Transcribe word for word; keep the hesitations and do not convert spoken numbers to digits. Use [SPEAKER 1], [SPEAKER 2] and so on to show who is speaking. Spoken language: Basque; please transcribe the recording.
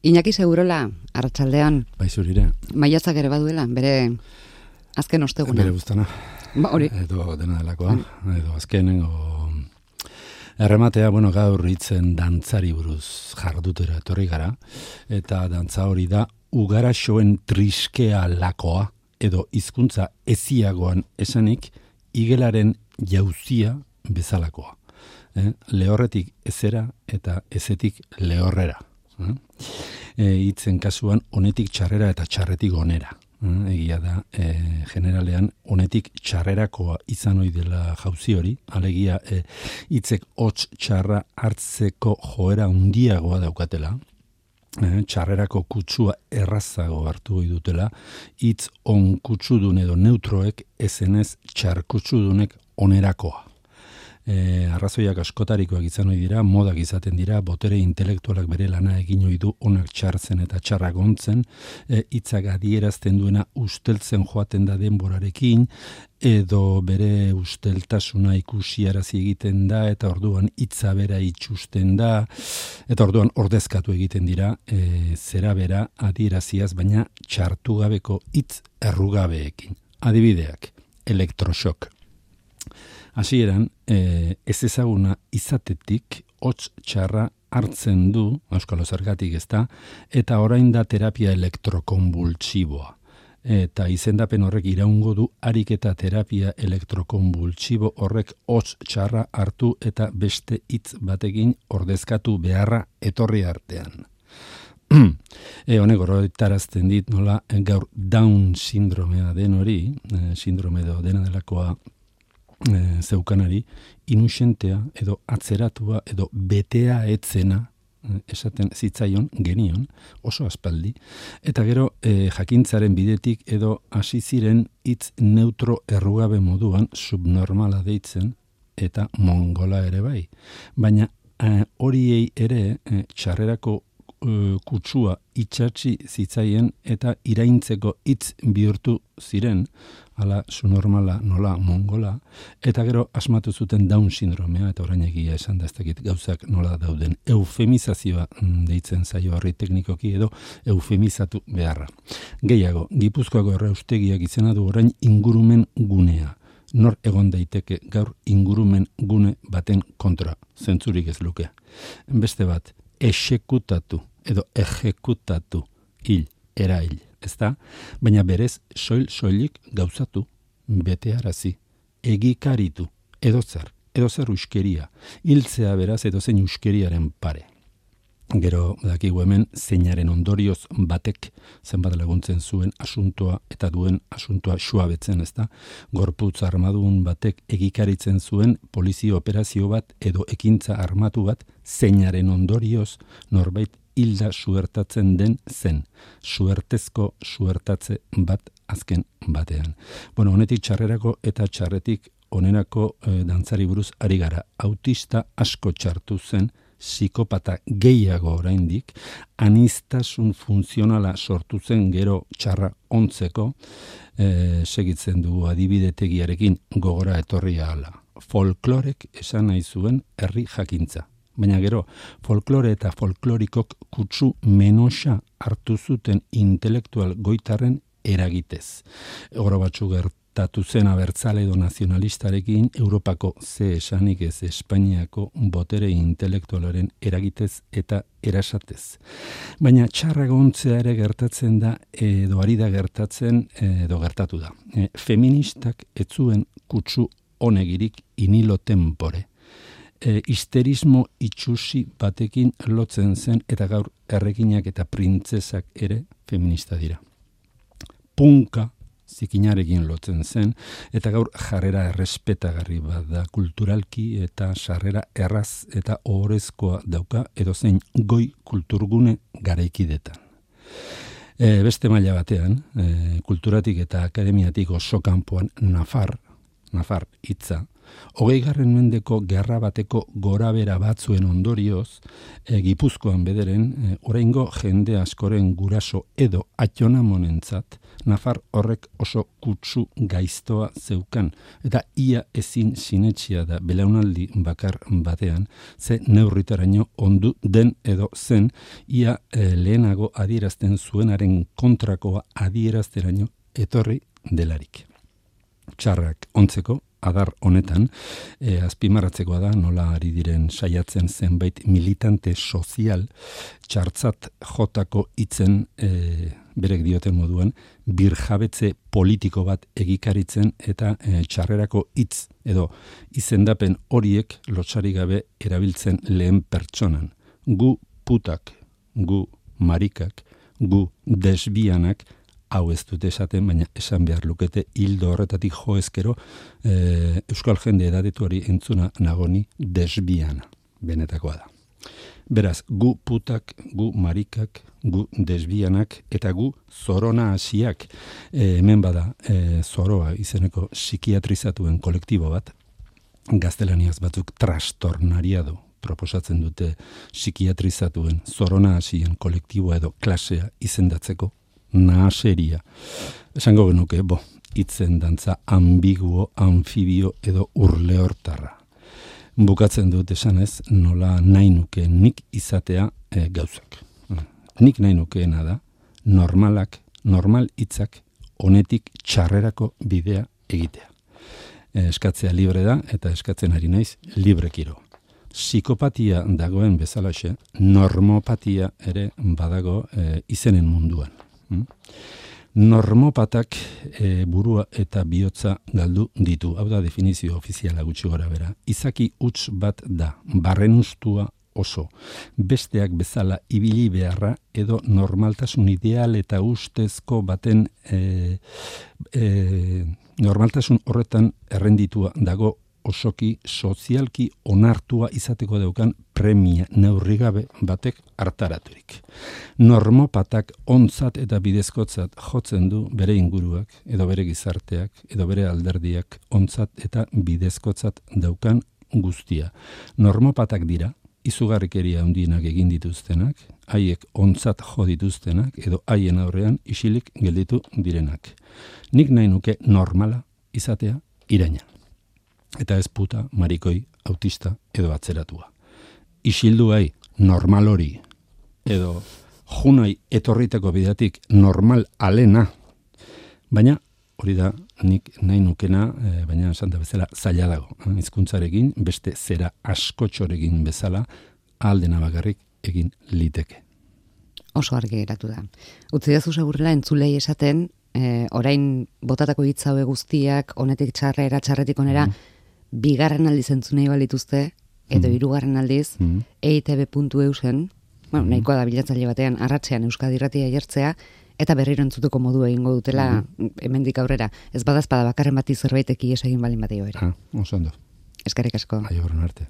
[SPEAKER 1] Iñaki Segurola, arratsaldean.
[SPEAKER 2] Bai zurire.
[SPEAKER 1] Maiatzak ere baduela, bere azken osteguna.
[SPEAKER 2] Bere buztana.
[SPEAKER 1] Ba, hori.
[SPEAKER 2] Edo dena delakoa, edo azkenengo errematea, bueno, gaur hitzen dantzari buruz jardutera etorri gara, eta dantza hori da ugaraxoen triskea lakoa, edo hizkuntza eziagoan esanik, igelaren jauzia bezalakoa. Eh? Lehorretik ezera eta ezetik lehorrera. Eh? Hitzen kasuan honetik txarrera eta txarretik onera. Eh? Egia da, eh, generalean honetik txarrerakoa izan ohi dela jauzi hori, alegia eh, hitzek hots txarra hartzeko joera handiagoa daukatela. Eh, txarrerako kutsua errazago hartu ohi dutela, hitz on kutsudun edo neutroek ezenez txar kutsudunek onerakoa. E, arrazoiak askotarikoak izan ohi dira, modak izaten dira, botere intelektualak bere lana egin ohi du onak txartzen eta txarrak ontzen, e, hitzak adierazten duena usteltzen joaten da denborarekin, edo bere usteltasuna ikusiarazi egiten da, eta orduan hitza bera itxusten da, eta orduan ordezkatu egiten dira, e, zera bera adieraziaz, baina txartu gabeko hitz errugabeekin. Adibideak, elektroxok. Hasieran, e, ez ezaguna izatetik hots txarra hartzen du, euskalo zergatik ez da, eta orain da terapia elektrokonbultsiboa. Eta izendapen horrek iraungo du ariketa terapia elektrokonbultsibo horrek hots txarra hartu eta beste hitz batekin ordezkatu beharra etorri artean. E, honek oroitarazten dit nola gaur Down sindromea den hori, e, sindrome edo dena delakoa E, zeukanari, inusentea edo atzeratua edo betea etzena e, esaten zitzaion, genion, oso aspaldi, eta gero e, jakintzaren bidetik edo hasi ziren hitz neutro errugabe moduan subnormala deitzen eta mongola ere bai. Baina e, horiei ere e, txarrerako e, kutsua itxatzi zitzaien eta iraintzeko hitz bihurtu ziren, ala subnormala nola mongola, eta gero asmatu zuten Down sindromea, eta orain egia esan da ez dakit gauzak nola dauden. Eufemizazioa deitzen zaio horri teknikoki edo eufemizatu beharra. Gehiago, Gipuzkoako erraustegiak izena du orain ingurumen gunea. Nor egon daiteke gaur ingurumen gune baten kontra, zentzurik ez luke. Beste bat, exekutatu edo ejekutatu, hil, erail. Ez da, baina berez soil-soilik gauzatu, betearazi, egikaritu, edozer, edozer uskeria, hiltzea beraz edozein uskeriaren pare. Gero, dakigu hemen, zeinaren ondorioz batek zenbat laguntzen zuen asuntoa eta duen asuntoa suabetzen, ez da, gorputz armadun batek egikaritzen zuen polizio operazio bat edo ekintza armatu bat zeinaren ondorioz norbait hilda suertatzen den zen, suertezko suertatze bat azken batean. Bueno, honetik txarrerako eta txarretik onerako e, dantzari buruz ari gara. Autista asko txartu zen, psikopata gehiago oraindik, aniztasun funtzionala sortu zen gero txarra ontzeko, e, segitzen dugu adibidetegiarekin gogora etorri ahala. Folklorek esan nahi zuen herri jakintza. Baina gero, folklore eta folklorikok kutsu menoxa hartu zuten intelektual goitarren eragitez. Oro batzu gertatu zen abertzale edo nazionalistarekin Europako ze esanik ez Espainiako botere intelektualaren eragitez eta erasatez. Baina txarragontzea ere gertatzen da edo ari da gertatzen edo gertatu da. E, feministak ez zuen kutsu honegirik inilo tempore. E, histerismo itxusi batekin lotzen zen eta gaur erreginak eta printzesak ere feminista dira. Punka zikinarekin lotzen zen eta gaur jarrera errespetagarri bat da kulturalki eta sarrera erraz eta ohorezkoa dauka edozein goi kulturgune garaikidetan. E, beste maila batean, e, kulturatik eta akademiatik oso kanpoan Nafar, Nafar hitza, hogeigarren mendeko gerra bateko gorabera batzuen ondorioz, e, Gipuzkoan bederen, e, oraingo jende askoren guraso edo atxonamonentzat, Nafar horrek oso kutsu gaiztoa zeukan, eta ia ezin sinetxia da belaunaldi bakar batean, ze neurritaraino ondu den edo zen, ia e, lehenago adierazten zuenaren kontrakoa adierazteraino etorri delarik. Txarrak ontzeko, adar honetan, e, azpimarratzekoa da, nola ari diren saiatzen zenbait militante sozial txartzat jotako hitzen e, berek dioten moduan, birjabetze politiko bat egikaritzen eta e, txarrerako hitz edo izendapen horiek lotsarik gabe erabiltzen lehen pertsonan. Gu putak, gu marikak, gu desbianak, hau ez dute esaten, baina esan behar lukete hildo horretatik jo ezkero e, euskal jende edadetuari entzuna nagoni desbiana, benetakoa da. Beraz, gu putak, gu marikak, gu desbianak eta gu zorona hasiak, e, hemen bada e, zoroa izeneko psikiatrizatuen kolektibo bat, gaztelaniaz batzuk trastornariado proposatzen dute psikiatrizatuen zorona hasien kolektiboa edo klasea izendatzeko, nahaseria. Esango genuke, bo, hitzen dantza ambiguo, anfibio edo urleortarra. Bukatzen dut esanez, nola nahi nuke nik izatea e, gauzak. Nik nahi nukeena da, normalak, normal hitzak, honetik txarrerako bidea egitea. E, eskatzea libre da, eta eskatzen ari naiz librekiro. Psikopatia dagoen bezalaxe, normopatia ere badago e, izenen munduan. Normopatak e, burua eta bihotza galdu ditu. Hau da definizio ofiziala gutxi gora bera. Izaki huts bat da, barrenustua oso. Besteak bezala ibili beharra edo normaltasun ideal eta ustezko baten e, e, normaltasun horretan errenditua dago osoki sozialki onartua izateko daukan premia neurrigabe batek hartaraturik. Normopatak ontzat eta bidezkotzat jotzen du bere inguruak, edo bere gizarteak, edo bere alderdiak ontzat eta bidezkotzat daukan guztia. Normopatak dira, izugarrikeria handienak egin dituztenak, haiek ontzat jo dituztenak, edo haien aurrean isilik gelditu direnak. Nik nahi nuke normala izatea iraina. Eta ez puta, marikoi, autista edo atzeratua. Isilduai normal hori edo junai etorriteko bidatik normal alena. Baina hori da nik nahi nukena, e, baina esan da bezala zaila dago. Hizkuntzarekin beste zera askotxorekin bezala aldena bakarrik egin liteke.
[SPEAKER 1] Oso argi geratu da. Utzi dazu segurela entzulei esaten, e, orain botatako hitz haue guztiak, honetik txarrera, txarretik onera, mm. bigarren aldiz entzunei balituzte, edo mm. hirugarren aldiz, mm. e i te be puntu e u zen, bueno, nahikoa da bilatzaile batean, arratsean Euskadi Irratia jartzea, eta berriro entzuteko modu egingo dutela mm. hemendik aurrera. Ez badazpada bakarren bati zerbaiteki esegin balin batio ere.
[SPEAKER 2] Ah, oso ondo.
[SPEAKER 1] Eskerrik asko.
[SPEAKER 2] Aio, arte.